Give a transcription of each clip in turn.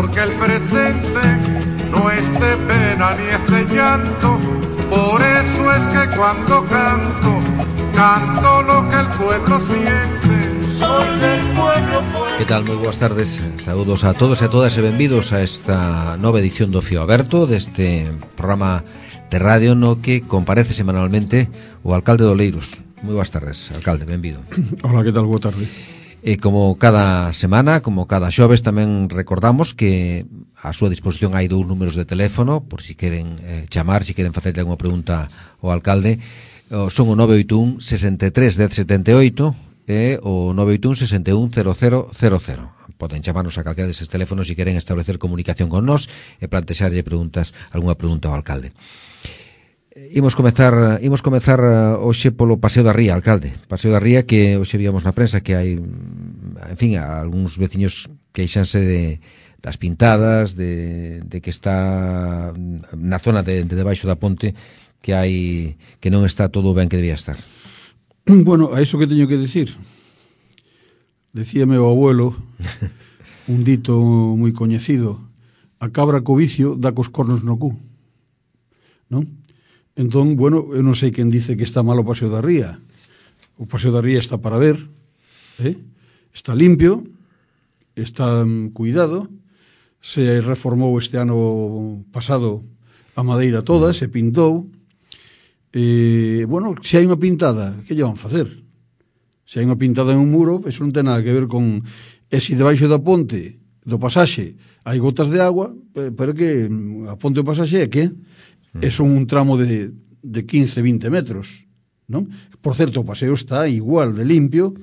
porque el presente no es de pena ni es de llanto. Por eso es que cuando canto, canto lo que el pueblo siente. Soy del pueblo. Que tal? Moi boas tardes. Saúdos a todos e a todas e benvidos a esta nova edición do Fío Aberto, deste programa de radio no que comparece semanalmente o alcalde de Oleiros. Moi boas tardes, alcalde, benvido. Hola, que tal? Boa tarde. E como cada semana, como cada xoves, tamén recordamos que a súa disposición hai dous números de teléfono por si queren chamar, si queren facerle alguna pregunta ao alcalde. Son o 981 63 1078 e o 981 61 0000. Poden chamarnos a calquera deses teléfonos se queren establecer comunicación con nós e plantexarlle algunha pregunta ao alcalde. Imos comezar hoxe polo Paseo da Ría, alcalde. Paseo da Ría que hoxe víamos na prensa que hai, en fin, algúns veciños queixanse das pintadas, de que está na zona de debaixo da ponte que non está todo ben que debía estar. Bueno, a iso que teño que decir. Decíame o abuelo un dito moi coñecido: a cabra co vicio dá cos cornos no cu, non? Entón, bueno, eu non sei quen dice que está mal o Paseo da Ría. O Paseo da Ría está para ver, está limpio, está cuidado, se reformou este ano pasado a madeira toda, se pintou. Bueno, se hai unha pintada, que lle van facer? Se hai unha pintada en un muro, eso non ten nada que ver con... E se debaixo da ponte, do pasaxe, hai gotas de agua, pero que a ponte do pasaxe é que son un tramo de 15-20 metros, non? Por certo, o paseo está igual de limpio,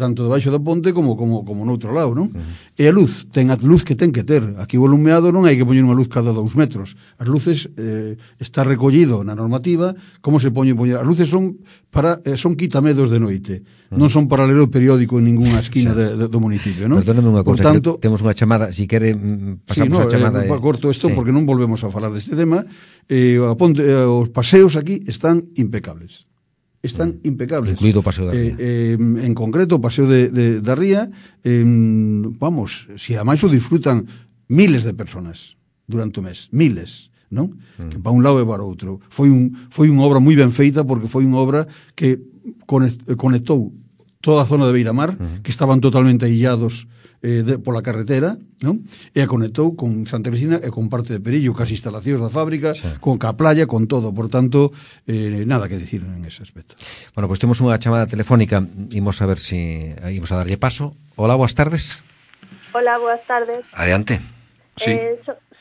tanto debaixo da ponte como no outro lado, non? E a luz, ten a luz que ten que ter. Aquí o alumeado non hai que poñer unha luz cada 2 metros. As luces está recollido na normativa como se poñen. As luces son quitamedos de noite, non son para ler o periódico en ninguna esquina do municipio, non? Perdóname unha cousa, tanto, temos unha chamada, si quere pasamos a chamada. Corto isto porque non volvemos a falar deste tema. Os paseos aquí están impecables. Están impecables. Incluído o Paseo da Ría. En concreto, o Paseo da Ría, vamos, se a máis o disfrutan miles de personas durante o mes, miles, non? Que para un lado e para outro. Foi unha obra moi ben feita porque foi unha obra que conectou toda a zona de Beiramar, que estaban totalmente aillados pola carretera, non? E a conectou con Santa Cristina e con parte de Perillo, cas instalacións da fábrica, con a playa, con todo. Por tanto, nada que decir en ese aspecto. Bueno, pois temos unha chamada telefónica, imos a ver se imos a darlle paso. Hola, boas tardes. Hola, boas tardes. Adiante. Sí.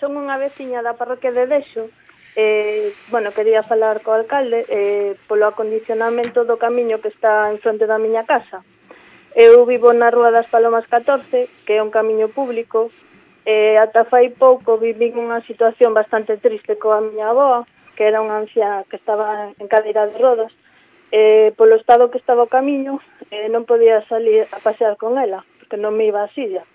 Son unha veciña da parroquia de Dexo. Bueno, quería falar co alcalde polo acondicionamento do camiño que está en fronte da miña casa. Eu vivo na Rúa das Palomas 14, que é un camiño público, ata fai pouco vivín unha situación bastante triste coa miña avoa, que era unha anciana que estaba en cadeira de rodas. Polo estado que estaba o camiño, non podía salir a pasear con ela, porque non me iba a silla.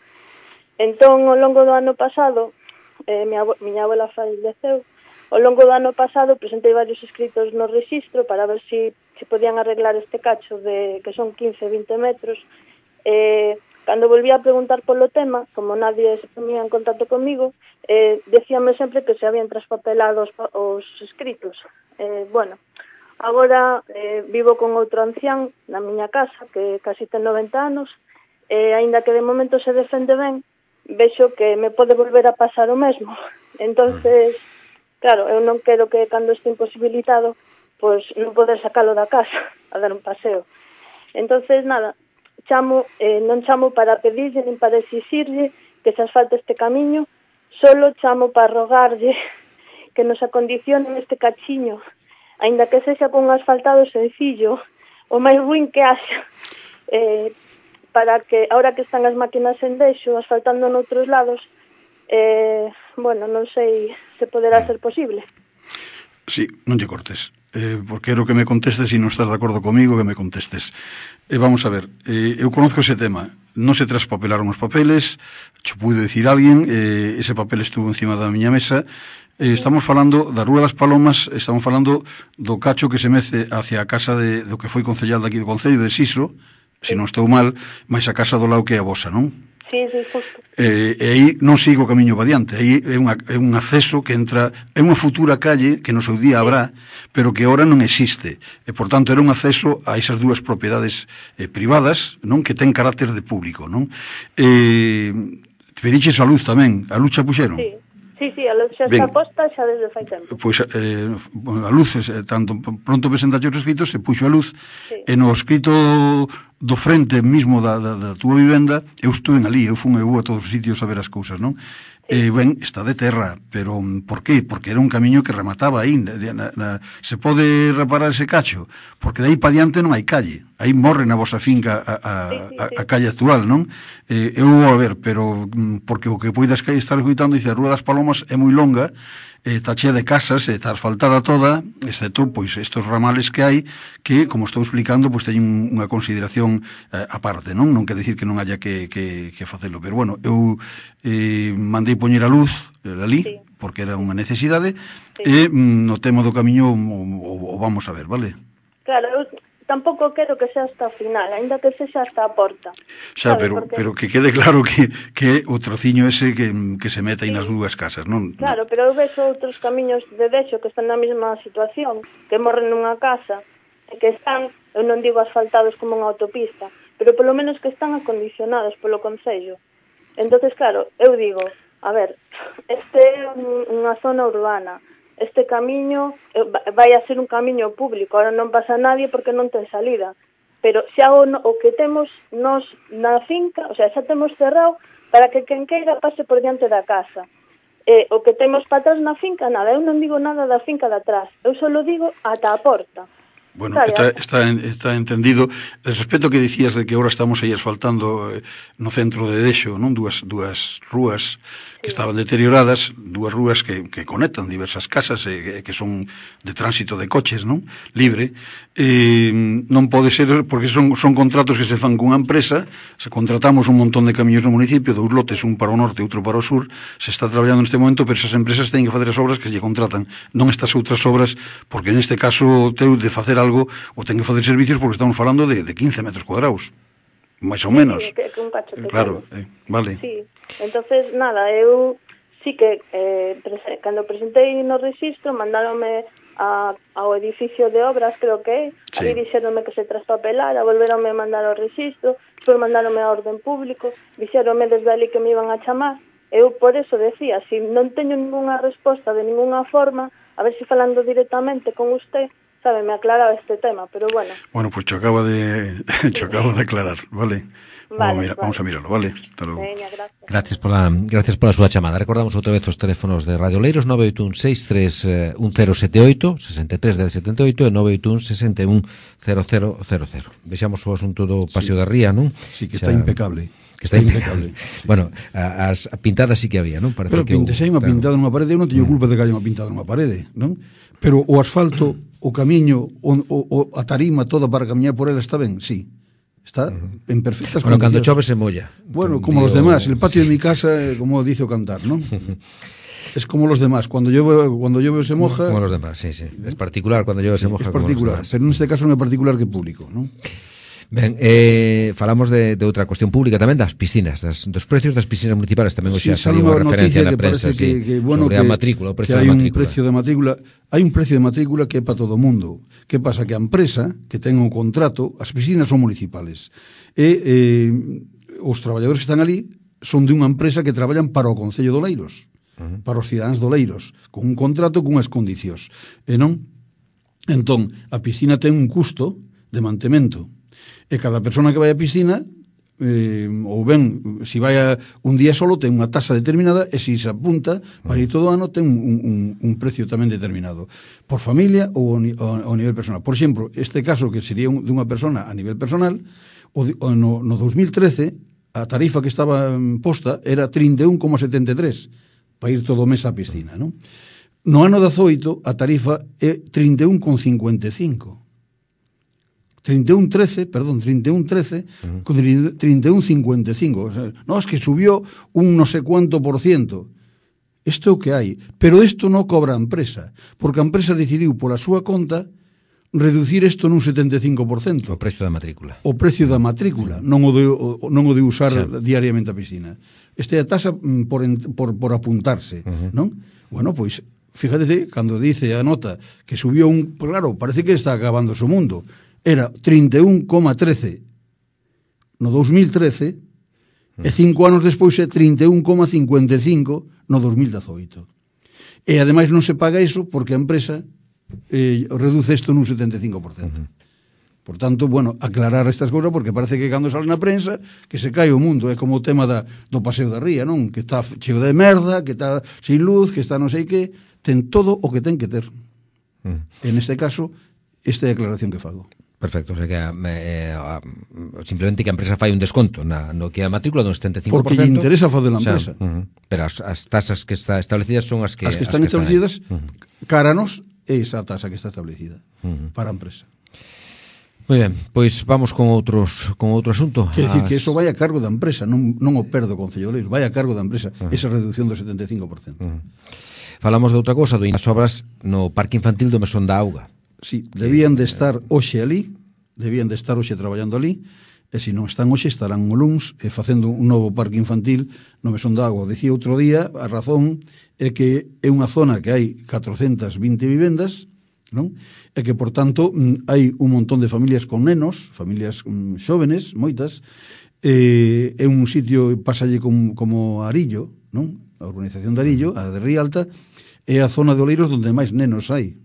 Entón, ao longo do ano pasado, miña abuela falleceu, ao longo do ano pasado presentei varios escritos no rexistro para ver se podían arreglar este cacho que son 15-20 metros. Cando volví a preguntar polo tema, como nadie se ponía en contacto comigo, decíame sempre que se habían traspapelado os escritos. Bueno, agora vivo con outro ancián na miña casa que casi ten 90 anos, aínda que de momento se defende ben, vexo que me pode volver a pasar o mesmo. Entonces, claro, eu non quero que cando este imposibilitado pois non poder sacalo da casa a dar un paseo. Entonces, nada, non chamo para pedirlle nin para exixirlle que se asfalte este camiño, solo chamo para rogarlle que nos acondicionen este cachiño, aínda que sexa con un asfaltado sencillo, o máis ruín que haxa, para que, ahora que están as máquinas en Dexo, asfaltando noutros lados, bueno, non sei se poderá ser posible. Sí, non lle cortes. Porque quero que me contestes, e non estás de acordo comigo, que me contestes. Vamos a ver, eu conozco ese tema. Non se traspapelaron os papeles, cho puido dicir alguén, ese papel estuvo encima da miña mesa. Estamos falando da Rúa das Palomas, estamos falando do cacho que se mece hacia a casa do que foi concellal daqui do Concello de Siso, se non estou mal, máis a casa do lado que é a vosa, non? Sí, justo. E aí non sigo o camiño para diante, aí é un acceso que entra, é unha futura calle que no seu día habrá, pero que ahora non existe, e por tanto era un acceso a esas dúas propiedades privadas, non, que ten carácter de público, non? Pediches a luz tamén, a luz xa puxeron? Sí, a luz xa está posta xa desde fai tempo. Pois a luz, tanto pronto presentaxe os escritos, se puxo a luz, e no escrito do frente mesmo da túa vivenda, eu estuve ali, eu fui a todos os sitios a ver as cousas, non? Ben, está de terra, pero por qué? Porque era un camiño que remataba aí, se pode reparar ese cacho, porque de aí para diante non hai calle, aí morre na vosa finca a calle actual, non? Eu vou a ver, pero porque o que poidas estar escuitando, dice, a Rúa das Palomas é moi longa, está chea de casas, está asfaltada toda, excepto, pois, estos ramales que hai, que, como estou explicando, pois, teñen unha consideración aparte, non? Non quer dicir que non haya que facelo, pero, bueno, eu mandei poñer a luz ali, porque era unha necesidade, e no tema do camiño o vamos a ver, vale? Claro, eu tampouco quero que sea hasta o final, aínda que sexa hasta a porta. Xa, pero que quede claro que o trociño ese que se mete aí nas dúas casas, non? Claro, pero eu vexo outros camiños de deixo que están na mesma situación, que morren nunha casa, e que están, eu non digo asfaltados como unha autopista, pero polo menos que están acondicionados polo Concello. Entonces, claro, eu digo, a ver, este é unha zona urbana, este camiño vai a ser un camiño público, ahora non pasa nadie porque non ten salida, pero xa o que temos nos na finca, o sea, xa temos cerrado para que quen queira pase por diante da casa. O que temos para atrás na finca, nada, eu non digo nada da finca de atrás, eu só digo ata a porta. Bueno, está entendido. El respecto que dicías de que ahora estamos aí asfaltando no centro de Dexo, non? Dúas rúas que estaban deterioradas, dúas rúas que conectan diversas casas que son de tránsito de coches, non? Libre. Non pode ser, porque son contratos que se fan cunha empresa, se contratamos un montón de camiños no municipio, dous lotes, un para o norte e outro para o sur, se está traballando neste momento, pero esas empresas teñen que facer as obras que lle contratan, non estas outras obras, porque neste caso teu de facer algo, ou ten que facer servicios, porque estamos falando de 15 metros cuadrados, máis ou menos. Sí, que un cacho pequeno. Claro, vale. Sí, entonces, nada, eu sí que cando presentei no registro, mandáronme ao edificio de obras, creo que ali dixeronme que se traspapelara, volveronme a mandar ao registro, despois mandáronme a orden público, dixeronme desde ali que me iban a chamar. Eu por eso decía, se non teño ninguna resposta de ninguna forma, a ver se falando directamente con usted, sabe, me aclaraba este tema, pero bueno. Bueno, pues cho acabo de aclarar, vale? Vamos a mirarlo, vale? Hasta logo. Veña, gracias. Gracias pola súa chamada. Recordamos outra vez os teléfonos de Radio Oleiros, 981631078, 63 de 78 e 981610000. Vexamos o asunto do Paseo da Ría, non? Sí, que está impecable. Que está impecable. Bueno, as pintadas sí que había, non? Pero pintesei unha pintada nunha parede, eu non teño culpa de que haya unha pintada nunha parede, non? Pero o asfalto, o camiño, a tarima toda para camiñar por ela está ben, sí. Está en perfectas condiciones. Cando chove se molla. Bueno, como los demás, el patio de mi casa, como dice o cantar, ¿no? Es como los demás, cuando llueve se moja. Como los demás, sí. Es particular cuando llueve se moja. Es particular, pero en este caso non é particular que público, ¿no? Ben, falamos de outra cuestión pública tamén, das piscinas, dos precios das piscinas municipais, tamén hoxe saliu unha referencia na prensa sobre a matrícula, o precio da matrícula. Hai un precio de matrícula que é para todo o mundo. Que pasa? Que a empresa que ten un contrato, as piscinas son municipales, e os traballadores que están ali son de unha empresa que traballan para o Concello de Oleiros, para os cidadáns de Oleiros, con un contrato con unhas condicións. E non? Entón, a piscina ten un custo de mantemento. E cada persona que vai á piscina, ou ben, se vai un día solo, ten unha tasa determinada, e se apunta para ir todo o ano, ten un precio tamén determinado. Por familia ou ao nivel personal. Por exemplo, este caso que sería de unha persona a nivel personal, no 2013, a tarifa que estaba posta era 31,73 para ir todo o mes á piscina, non? No ano 18, a tarifa é 31,55. 31,13, con 31,55. O sea, no, es que subió un no sé cuánto por ciento. Isto é o que hai. Pero isto non cobra a empresa, porque a empresa decidiu pola súa conta reducir isto nun 75%. O precio da matrícula. O precio da matrícula, non o de usar diariamente a piscina. Esta é a tasa por apuntarse, non? Bueno, pois, fíjate, cando dice a nota que subió claro, parece que está acabando o mundo. Era 31,13 no 2013 e 5 anos despois é 31,55 no 2018. E ademais non se paga iso porque a empresa reduce isto nun 75%. Por tanto, bueno, aclarar estas cousas porque parece que cando sale na prensa que se cae o mundo, é como o tema do paseo da ría, non? Que está cheo de merda, que está sin luz, que está non sei que, ten todo o que ten que ter. En este caso, esta é a declaración que fago. Perfecto, o sea que simplemente que a empresa fai un desconto no que a matrícula dun 75%. Porque lle interesa fazer a empresa. Pero as tasas que está establecidas son as que están establecidas cáranos é esa tasa que está establecida para a empresa. Moi ben, pois vamos con outro asunto. Quer dicir que eso vai a cargo da empresa, non o perdo o Concello de Oleiros, vai a cargo da empresa, esa reducción do 75%. Falamos de outra cousa, das obras no Parque Infantil do Mesón da Auga. Sí, debían de estar hoxe ali, debían de estar hoxe traballando ali, e se non están hoxe estarán o luns facendo un novo parque infantil no Mesón da Auga. Dicía outro día, a razón é que é unha zona que hai 420 vivendas, non? E que, por tanto, hai un montón de familias con nenos, familias xóvenes, moitas, é un sitio, pasalle como Arillo, non? A urbanización de Arillo, a de Rialta, é a zona de Oleiros onde máis nenos hai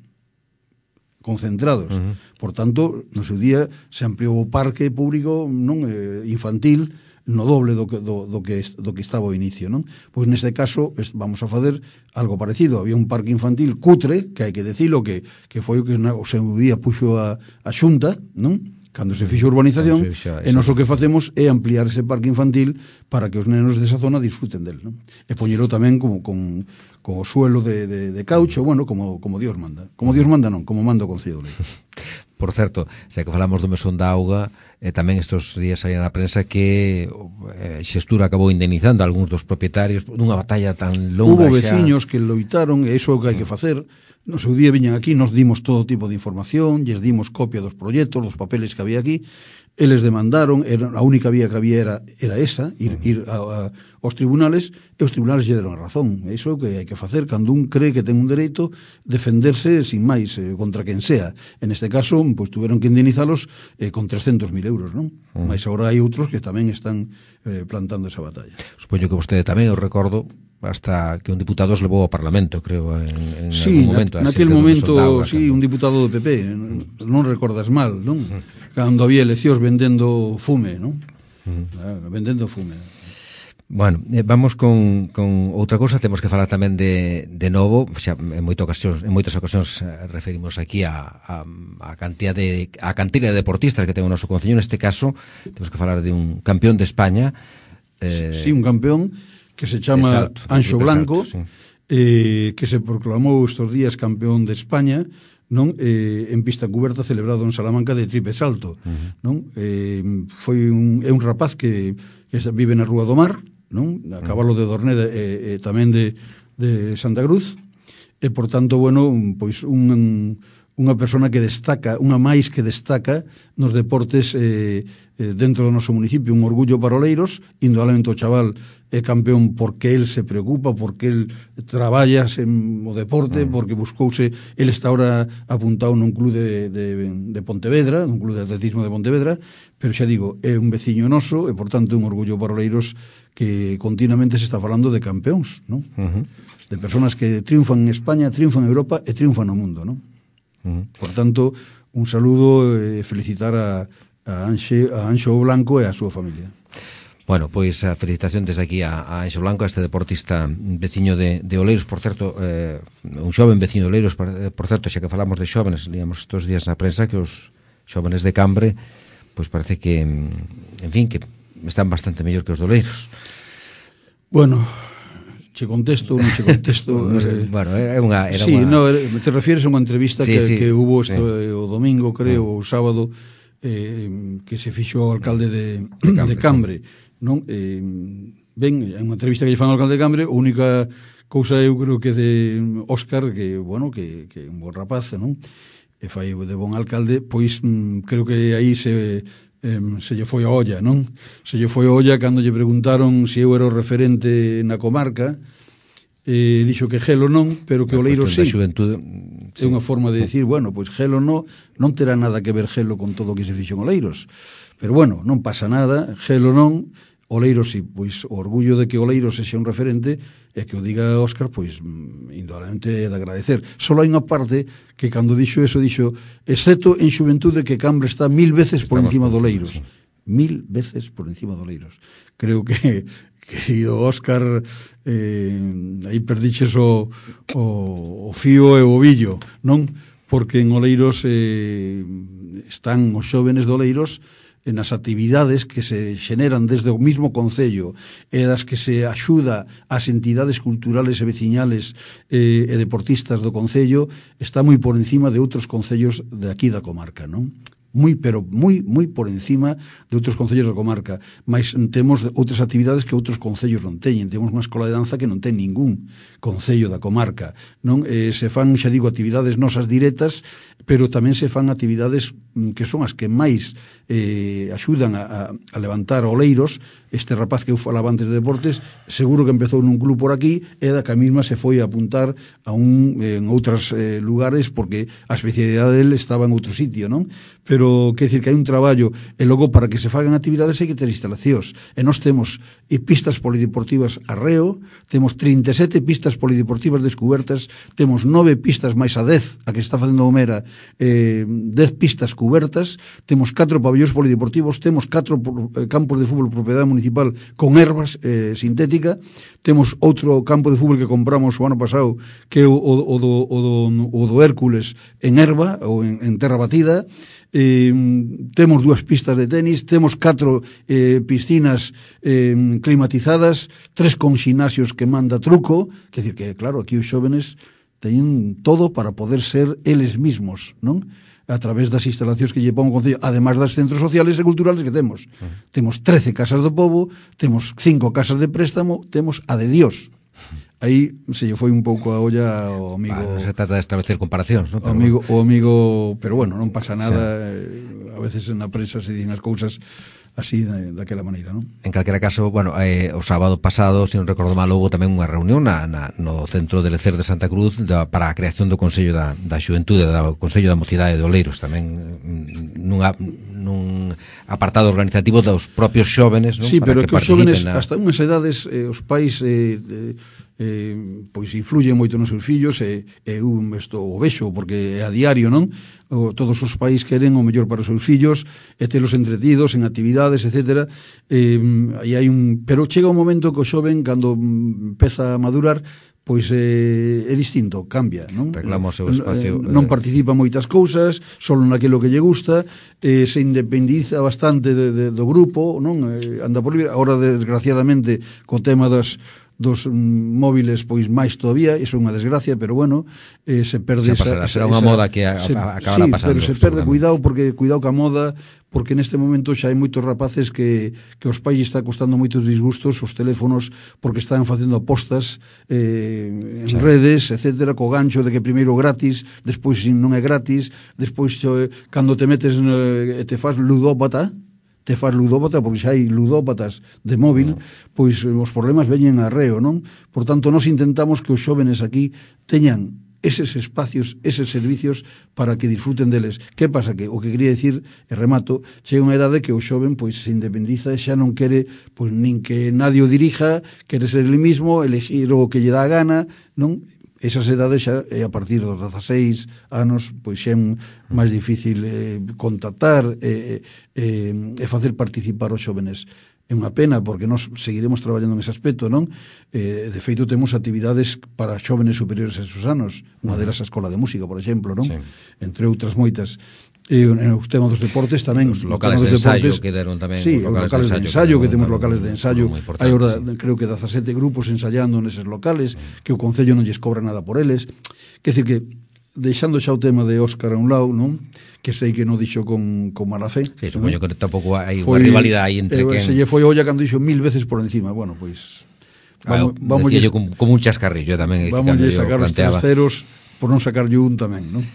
concentrados. Por tanto, no seu día se ampliou o parque público non infantil no doble do que estaba ao inicio, non? Pois neste caso vamos a fazer algo parecido. Había un parque infantil cutre, que hai que decilo, que foi o que o seu día puxo a Xunta, non? Cando se fixo a urbanización, e nós o que facemos é ampliar ese parque infantil para que os nenos desa zona disfruten del, non? E poñelo tamén con o suelo de caucho, bueno, como Dios manda. Como Dios manda non, como manda o Concello de Oleiros. Por certo, xa que falamos do Mesón da Auga, tamén estes días saía na prensa que Xestura acabou indemnizando a algúns dos propietarios nunha batalla tan longa. Hubo veciños que loitaron, e iso é o que hai que facer. No seu día viñan aquí, nos dimos todo tipo de información, lles dimos copia dos proxectos, dos papeles que había aquí, eles demandaron, a única vía que había era esa, ir aos tribunales, e os tribunales lle deron a razón. Iso é o que hai que facer, cando un cree que ten un dereito, defenderse sin máis, contra quen sea. En este caso, pois tuveron que indemnizalos con 300.000 euros, non? Mas agora hai outros que tamén están plantando esa batalla. Supoño que vostede tamén, eu recordo, hasta que un diputado os levou ao Parlamento, creo, en sí, algún momento. Naquel momento, sí, un diputado do PP, non recordas mal, non? Cando había eleccións vendendo fume, non? Vendendo fume. Bueno, vamos con outra cousa. Temos que falar tamén de novo, xa en moitas ocasións referimos aquí a cantidad de deportistas que ten o noso concello. Neste caso, temos que falar de un campeón de España. Sí, un campeón que se chama Anxo Blanco, sí. Que se proclamou estes días campeón de España, non? En pista cuberta celebrado en Salamanca de triple salto, non? Foi un rapaz que vive na Rúa do Mar, non? A cabalo de Dorneda e tamén de Santa Cruz, e por tanto, bueno, pois unha persona que destaca, unha máis que destaca nos deportes dentro do noso municipio, un orgullo para Oleiros. Indudablemente o chaval é campeón porque el se preocupa, porque el traballa o deporte, porque buscouse, el está ahora apuntado nun club de Pontevedra, nun club de atletismo de Pontevedra, pero xa digo, é un veciño noso e por tanto un orgullo para Oleiros que continuamente se está falando de campeóns, non? De personas que triunfan en España, triunfan en Europa e triunfan no mundo, non? Por tanto, un saludo e felicitar a Anxo Blanco e a súa familia. Bueno, pois a felicitación desde aquí a Anxo Blanco, a este deportista veciño de Oleiros, por certo, un xoven veciño de Oleiros, por certo, xa que falamos de xóvenes, líamos estes días na prensa que os xóvenes de Cambre, pois parece que, en fin, que están bastante mellor que os de Oleiros. Bueno, che contesto, non che contesto. Bueno, era unha... Sí, no, te refieres a unha entrevista que hubo o domingo, creo, o sábado, que se fixo o alcalde de Cambre, non? Ben, é unha entrevista que lle fan ao alcalde de Cambre. A única cousa eu creo que de Óscar, que, bueno, que é un bon rapaz, non? e fai de bon alcalde, pois creo que aí se lle foi a olla, non? Se lle foi a olla cando lle preguntaron se eu era o referente na comarca, dixo que Gelo non, pero que Oleiros sí. É unha forma de decir, bueno, pois Gelo non terá nada que ver Gelo con todo o que se fixo en Oleiros, pero bueno, non pasa nada, Gelo non, Oleiros sí, pois o orgullo de que Oleiros sexa un referente e que o diga Óscar, pois indudablemente é de agradecer. Solo hai unha parte que cando dixo eso, dixo, excepto en xuventude que Cambre está 1000 veces por encima de Oleiros. 1000 veces por encima de Oleiros. Creo que, querido Óscar, aí perdiches o fío e o ovillo, non? Porque en Oleiros están os xóvenes de Oleiros nas actividades que se xeneran desde o mismo concello e das que se axuda ás entidades culturales e veciñales e deportistas do concello, está moi por encima de outros concellos de aquí da comarca, non? Pero moi por encima de outros concellos da comarca, mas temos outras actividades que outros concellos non teñen. Temos unha escola de danza que non ten ningún concello da comarca, non? Se fan, xa digo, actividades nosas directas, pero tamén se fan actividades que son as que máis axudan a levantar Oleiros. Este rapaz que eu falaba antes de deportes, seguro que empezou nun club por aquí e da que a mesma se foi a apuntar en outros lugares porque a especialidade dele estaba en outro sitio, non? Pero, quer dicir que hai un traballo e logo para que se fagan actividades hai que ter instalacións e nós temos pistas polideportivas a reo, temos 37 pistas polideportivas descubertas, temos 9 pistas máis a 10 a que está facendo o Mera, 10 pistas cubertas, temos 4 pabellóns polideportivos, temos 4 campos de fútbol propiedade municipal con ervas sintética, temos outro campo de fútbol que compramos o ano pasado que é o do Hércules en erva ou en terra batida, temos 2 pistas de tenis, temos 4 piscinas climatizadas, 3 con xinasios que manda truco, quer dizer que, claro, aquí os xóvenes teñen todo para poder ser eles mismos, non? A través das instalacións que lle pon o Concello, ademais das centros sociales e culturales que temos. Temos 13 casas do pobo, temos 5 casas de préstamo, temos a de Dios. Aí se lle foi un pouco a olla ao amigo. Se trata de establecer comparacións, non? O amigo, pero bueno, non pasa nada. A veces na prensa se dicen as cousas así, daquela maneira, non? En calquera caso, bueno, o sábado pasado, se non recordo mal, houve tamén unha reunión no Centro de Lecer de Santa Cruz para a creación do Consello da Xuventude, do Consello da Mocidade de Oleiros, tamén nun apartado organizativo dos propios xóvenes, non? Sí, pero que os xóvenes, hasta unhas edades, os pais pois influyen moito nos seus fillos e isto o vexo porque é a diario, non? Todos os pais queren o mellor para os seus fillos e telos entretidos en actividades, etcétera. Pero chega un momento que o xoven cando empeza a madurar pois é distinto, cambia, non? Reclama o seu espacio. Non participa moitas cousas, solo naquilo que lle gusta, se independiza bastante do grupo, non? Anda por libre. Agora, desgraciadamente, co tema dos móviles, pois máis todavía, iso é unha desgracia, pero bueno, se perde será unha moda que acabará pasando. Pero se perde, cuidado ca moda, porque neste momento xa hai moitos rapaces que os pais está costando moitos disgustos os teléfonos, porque están facendo apostas en redes, etcétera, co gancho de que primeiro gratis, despois non é gratis, despois cando te metes e te faz ludópata, porque xa hai ludópatas de móvil, pois os problemas veñen a reo, non? Por tanto, nós intentamos que os xóvenes aquí teñan eses espacios, eses servicios para que disfruten deles. Que pasa? Que o que quería dicir, e remato, chega unha edade que o xoven pois se independiza e xa non quere pois nin que nadie o dirija, quere ser el mismo, elegir o que lle dá a gana, non? Esas edades xa é a partir dos 16 anos, pois xa é máis difícil contactar e facer participar os xóvenes. É unha pena, porque nós seguiremos traballando nese aspecto, non? De feito, temos actividades para xóvenes superiores a esos anos, unha delas a Escola de Música, por exemplo, non? Sí. Entre outras moitas. E os temas dos deportes tamén. Os locales de ensayo que deron tamén. Sí, os locales de ensayo, que temos locales de ensayo. Hai ahora, creo que 17 grupos ensayando neses locales, que o Concello non lles cobra nada por eles. Quer dizer que, deixando xa o tema de Óscar a un lado, non? Que sei que non dixo con mala fe. Sí, supoño que tampouco hai unha rivalidade aí entre quen... Se lle foi olla cando dixo 1000 veces por encima. Bueno, pois... Vamos yo como un chascarrillo tamén. Vamos a sacar os terceros por non sacar yo un tamén, non?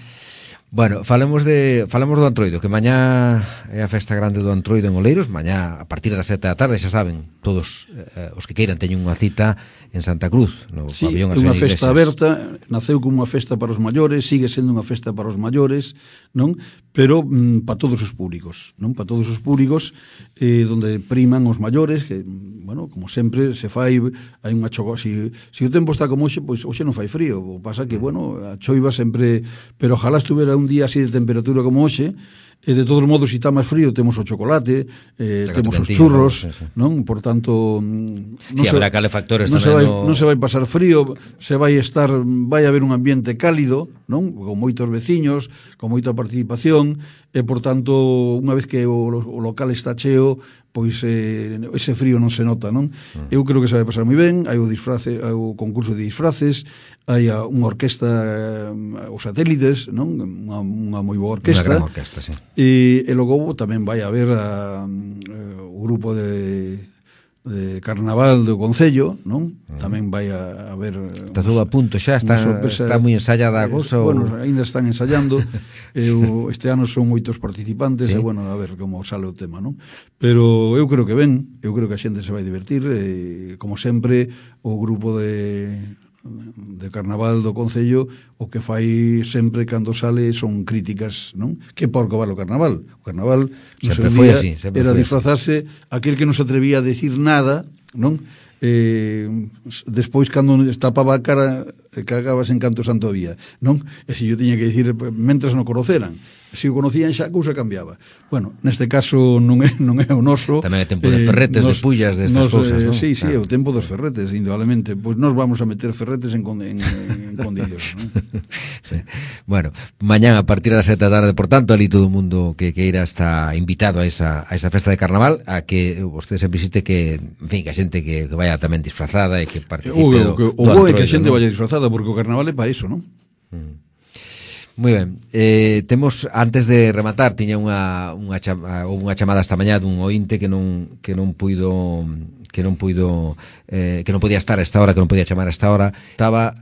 Bueno, falemos do Antroido, que mañá é a festa grande do Antroido en Oleiros, mañá a partir das 7 da tarde, xa saben, todos os que queiran teñen unha cita en Santa Cruz, no sí, pabellón é unha festa aberta, naceu como unha festa para os maiores, sigue sendo unha festa para os maiores, non? Pero para todos os públicos, non? Para todos os públicos, donde priman os maiores, que, bueno, como sempre se fai, hai unha choco, se o tempo está como hoxe, pois hoxe non fai frío, o pasa que, bueno, a choiva sempre, pero ojalá estuvera un día así de temperatura como hoxe, e de todos modos, se está máis frío, temos o chocolate, temos os churros, sí. Non? Por tanto, sí, habrá calefactores tamén. Non se vai pasar frío, vai haber un ambiente cálido, non? Con moitos veciños, con moita participación, e por tanto, unha vez que o local está cheo, pois ese frío non se nota, non? Eu creo que se vai pasar moi ben, hai o concurso de disfraces, hai unha orquesta, os satélites, non? Unha moi boa orquesta. Unha gran orquesta, sí. E logo tamén vai haber o grupo de Carnaval do Concello, non? Tamén vai a haber... Está todo a punto xa, está moi ensayada a cousa? Bueno, ainda están ensayando, este ano son moitos participantes, sí. E bueno, a ver como sale o tema, non? Pero eu creo que ben, eu creo que a xente se vai divertir, como sempre, o grupo de Carnaval do Concello o que fai sempre cando sale son críticas, non? Que porco vale o Carnaval? O Carnaval no sempre seu foi día así, era disfrazarse aquel que non se atrevía a decir nada, non? Despois cando tapaba a cara cagabas en canto santo había, non? E se yo tiña que dicir mentras non conoceran, se o conocían xa a cousa cambiaba. Bueno, neste caso non é o noso. Tamén é tempo de ferretes, de pullas, destas cousas, non? Sí, claro. É o tempo dos ferretes, indudablemente. Pois nos vamos a meter ferretes en condicións, non? Sí. Bueno, mañán a partir das 7 da tarde, por tanto, ali todo o mundo que queira está invitado a esa festa de Carnaval, a que vostede se visite, que, en fin, que a xente que vaya tamén disfrazada e que participe o bo é que a xente vaya disfrazada, porque o Carnaval é para iso, non? Moi ben, temos, antes de rematar, tiña unha chamada esta mañá dun ointe que non podía estar a esta hora, que non podía chamar a esta hora. Estaba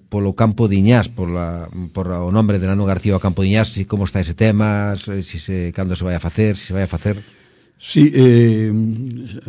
polo Campo de Iñás, por o nombre de Nano García ao Campo de Iñás, si como está ese tema, cando se vai a facer, se vai a facer. Sí,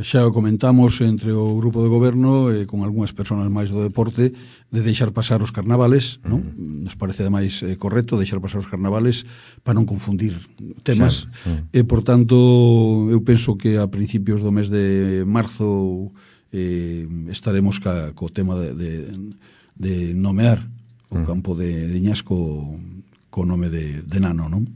xa o comentamos entre o grupo de goberno con algunhas persoas máis do deporte de deixar pasar os carnavales, non? Nos parece ademais correcto deixar pasar os carnavales para non confundir temas, e por tanto eu penso que a principios do mes de marzo estaremos co tema de nomear o campo de Iñasco co nome de Nano, non?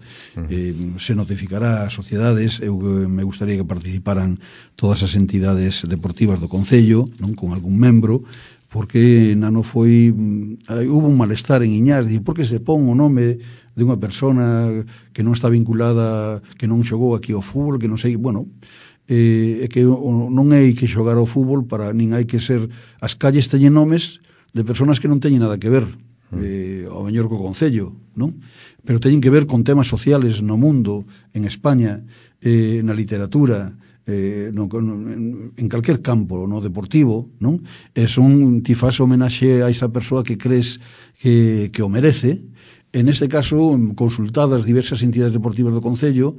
Se notificará ás sociedades. Eu me gustaría que participaran todas as entidades deportivas do Concello, non, con algún membro, porque Nano foi... hubo un malestar en Iñás, por que se pon o nome de unha persona que non está vinculada, que non xogou aquí ao fútbol, que non sei... Bueno, é que non hai que xogar ao fútbol, nin hai que ser... As calles teñen nomes de personas que non teñen nada que ver ao mellor co Concello, non? Pero teñen que ver con temas sociales no mundo, en España, na literatura, en calquer campo, no deportivo, non? Ti faz homenaxe a esa persoa que crees que o merece. En este caso, consultadas diversas entidades deportivas do Concello,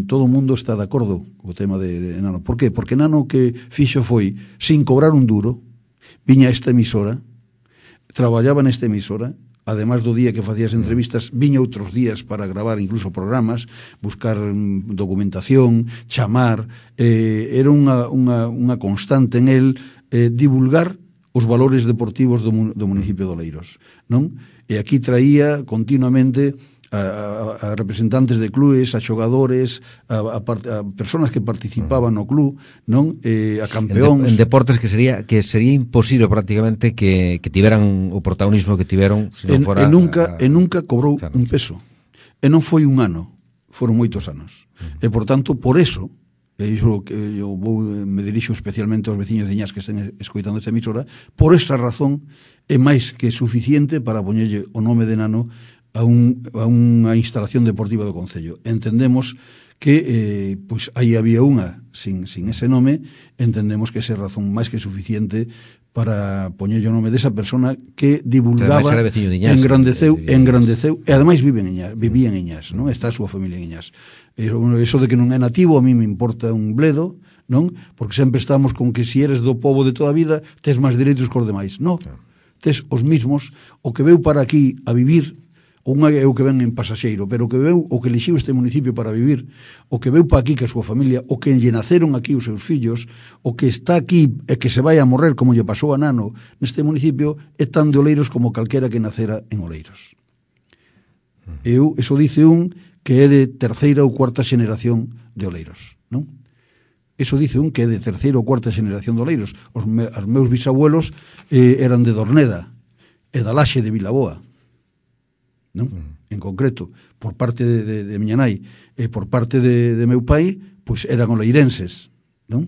todo o mundo está de acordo co tema de Nano. Por qué? Porque Nano que fixo foi, sin cobrar un duro, viña a esta emisora, traballaba nesta emisora, además do día que facías entrevistas, viña outros días para gravar incluso programas, buscar documentación, chamar, era unha constante en el divulgar os valores deportivos do municipio de Oleiros, non? E aquí traía continuamente a representantes de clubes, a xogadores, a persoas que participaban no club, non? A campeóns. En deportes que sería imposible prácticamente que tiveran o protagonismo que tiveron se non fora... E nunca cobrou un peso. E non foi un ano, foron moitos anos. E, por tanto, por eso, e iso que eu me dirixo especialmente aos veciños de Iñás que estén escoitando esta emisora, por esta razón é máis que suficiente para poñerlle o nome de Nano a unha instalación deportiva do Concello. Entendemos que pois aí había unha sin ese nome, entendemos que esa razón máis que suficiente para poñerlle o nome desa persona que divulgaba, Iñas, engrandeceu, e ademais vivía en Iñas, non? Está a súa familia en Iñas. Eso de que non é nativo a mí me importa un bledo, non? Porque sempre estamos con que si eres do pobo de toda a vida tes máis dereitos que os demais. Non, tes os mismos. O que veu para aquí a vivir, un é o que ven en pasaxeiro, pero o que veu, o que elixiu este municipio para vivir, o que veu para aquí que a súa familia, o que lle naceron aquí os seus fillos, o que está aquí e que se vai a morrer como lle pasou a Nano neste municipio, é tan de Oleiros como calquera que nacera en Oleiros. Eso dice un que é de terceira ou cuarta xeneración de Oleiros, non? Eso dice un que é de terceira ou cuarta xeneración de Oleiros. Os meus bisabuelos eran de Dorneda e da Laxe de Vilaboa, non? En concreto, por parte de miña nai e por parte de meu pai, pois eran oleirenses, non?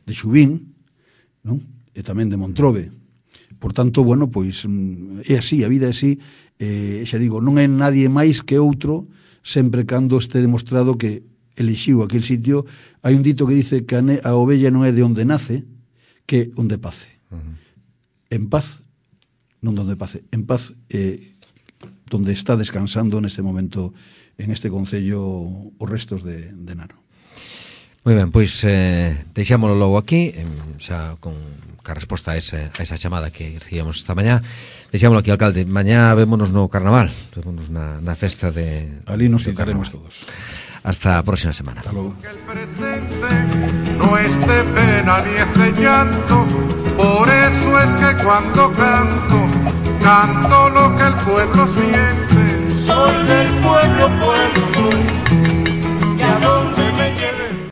De Xubín, non? E tamén de Montrobe. Por tanto, bueno, pois é así, a vida é así, xa digo, non é nadie máis que outro, sempre cando este demostrado que elixiu aquel sitio. Hai un dito que dice que a ovella non é de onde nace, que onde pace. En paz, non donde pace, en paz, donde está descansando neste momento en este concello os restos de Nano. Moi ben, pois deixámoslo logo aquí, xa con a resposta a esa chamada que recibíamos esta mañá. Deixámoslo aquí, alcalde. Mañá vémonos no carnaval, vémonos na festa de... Ali nos citaremos todos. Hasta a próxima semana. Hasta logo. Que el presente no es de pena ni es de llanto, por eso es que cuando canto lo que el pueblo siente. Soy del pueblo, soy